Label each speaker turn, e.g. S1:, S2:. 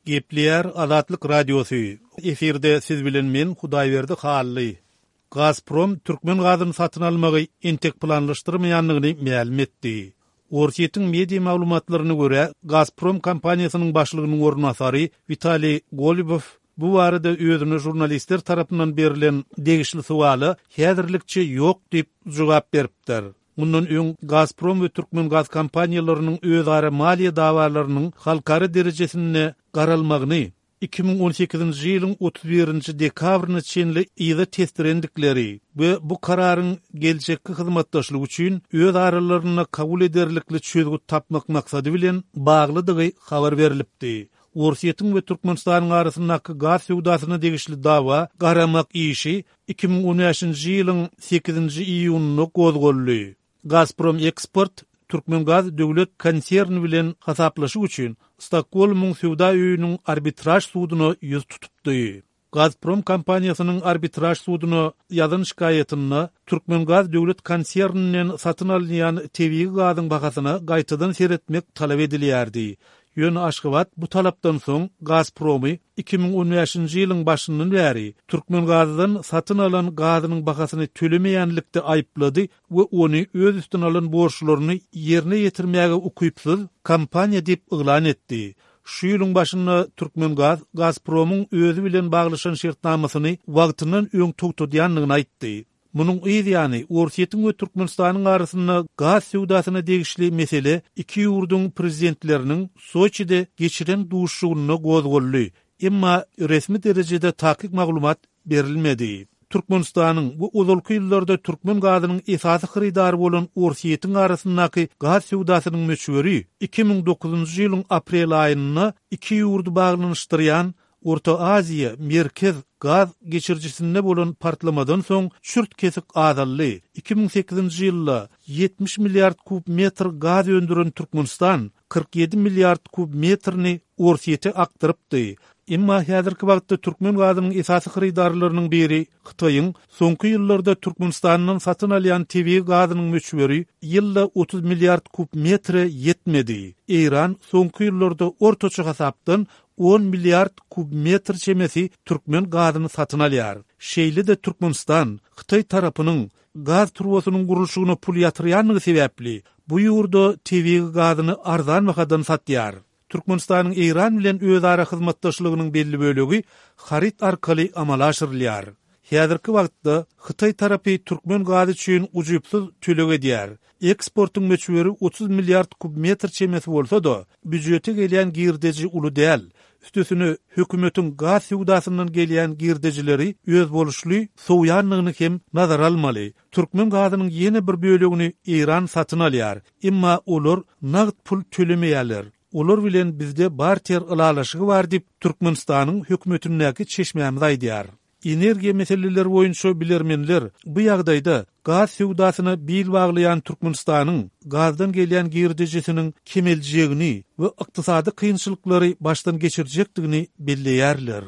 S1: Gepleýär Azatlyk Radiosy, efirde siz bilen men Hudaýberdi Hally. Gazprom türkmen gazyny satyn almagy entek planlaşdyrmaýandygyny mälim etdi. Orsýetiň media maglumatlaryna görä, Gazprom kompaniýasynyň başlygynyň orunbasary Witaliý Golubow bu barada özüne žurnalistler tarapyndan berlen degişli sowala häzirlikçe ýok diýip jogap beripdir. Mundan öň Gazprom we Türkmengaz kompaniýalarynyň özara maliýe dawalarynyň halkara derejesinde garalmagyny 2018-nji ýylyň 31-nji dekabryna çenli yza tesdirendikleri we bu kararyň geljekki hyzmatdaşlyk üçin öz aralarynda kabul ederlikli çözgüt tapmak maksady bilen baglydygy habar berlipdi. Orsýetiň we Türkmenistanyň arasyndaky gaz söwdasyna degişli dawa garamak işi 2015-nji ýylyň sekizinji iýunynda gozgaldy. Gazprom Eksport Türkmengaz döwlet konserni bilen hasaplaşyk üçin Stokgolmyň söwda öýüniň arbitraž suduna ýüz tutupdy. Gazprom kompaniýasynyň arbitraž suduna ýazan şikaýatynda Türkmengaz döwlet konserninden satyn alynýan tebigy gazyň bahasyna gaýtadan seretmek talap edilýärdi. Ýöne Aşgabat bu talapdan soň Gazpromy 2015-nji ýylyň başyndan bäri Türkmengazdan satyn alan gazynyň bahasyny tölemeýänlikde aýyplady we ony öz üstüne alan borçlaryny ýerine ýetirmäge ukypsyz kompaniýa diýip yglan etdi. Şu ýylyň başynda Türkmengaz Gazpromyň özi bilen baglaşan şertnamasyny wagtyndan öň togtadýandygyny aýtdy. Munuň yz ýany, Orsýetiň we Türkmenistanyň arasynda gaz söwdasyna degişli mesele iki ýurduň prezidentleriniň Soçide geçiren duşuşygynda gozgaldy, emma resmi derejede takyk maglumat berilmedi. Türkmenistanyň we ozalky ýyllarda türkmen gazynyň esasy hyrydary bolan Orsýetiň arasyndaky gaz söwdasynyň möçberi 2009-njy ýylyň aprel aýynda iki ýurdy baglanyşdyrýan Orta Aziýa, Merkez gaz geçirijisinde bolan partlamadan soň çürt-kesik azaldy. 2008-nji ýylda 70 milliard kub metr gaz öndüren Türkmenistan 47 milliard kub metrini Orsýete akdyrypdy. Emma häzirki wagtda türkmen gazynyň esasy hyrydarlarynyň biri Hytaýyň soňky ýyllarda Türkmenistandan satyn alýan tebigy gazynyň möçberi ýylda 30 milliard kub metre ýetmedi. Eýran soňky ýyllarda ortaça hasapdan on milliard kub metr çemesi türkmen gazyny satyn alýar. Şeýle-de Türkmenistan Hytaý tarapynyň gaz turbasynyň gurluşygyna pul ýatyrýandygy sebäpli, bu ýurda tebigy gazyny arzan bahadan satýar. Türkmenistanyň Eýran bilen özara hyzmatdaşlygynyň belli bölegi haryt arkaly amala aşyrylýar. Häzirki wagtda hytaý tarapy türkmen gazy üçin ujypsyz töleg edýär. Eksportyň möçberi 30 milliard kub metr çemesi bolsa-da, býujete gelýän girdeji uly däl. Üstesine, hökümetiň gaz söwdasyndan gelýän girdejileri özboluşly sowýandygyny hem nazara almaly. Türkmen gazynyň ýene bir bölegini Eýran satyn alýar. Emma olar nagt pul tölemeýärler. Olar bilen bizde barter ylalaşygy bar diýip, Türkmenistanyň hökümetindäki çeşmämiz aýdýar. Energiýa meseleleri boýunça bilermenler bu ýagdaýda gaz söwdasyna bil baglaýan Türkmenistanyň gazdan gelýän girdejisiniň kemeljegini we ykdysady kynçylyklary başdan geçirjekdigini belleýärler.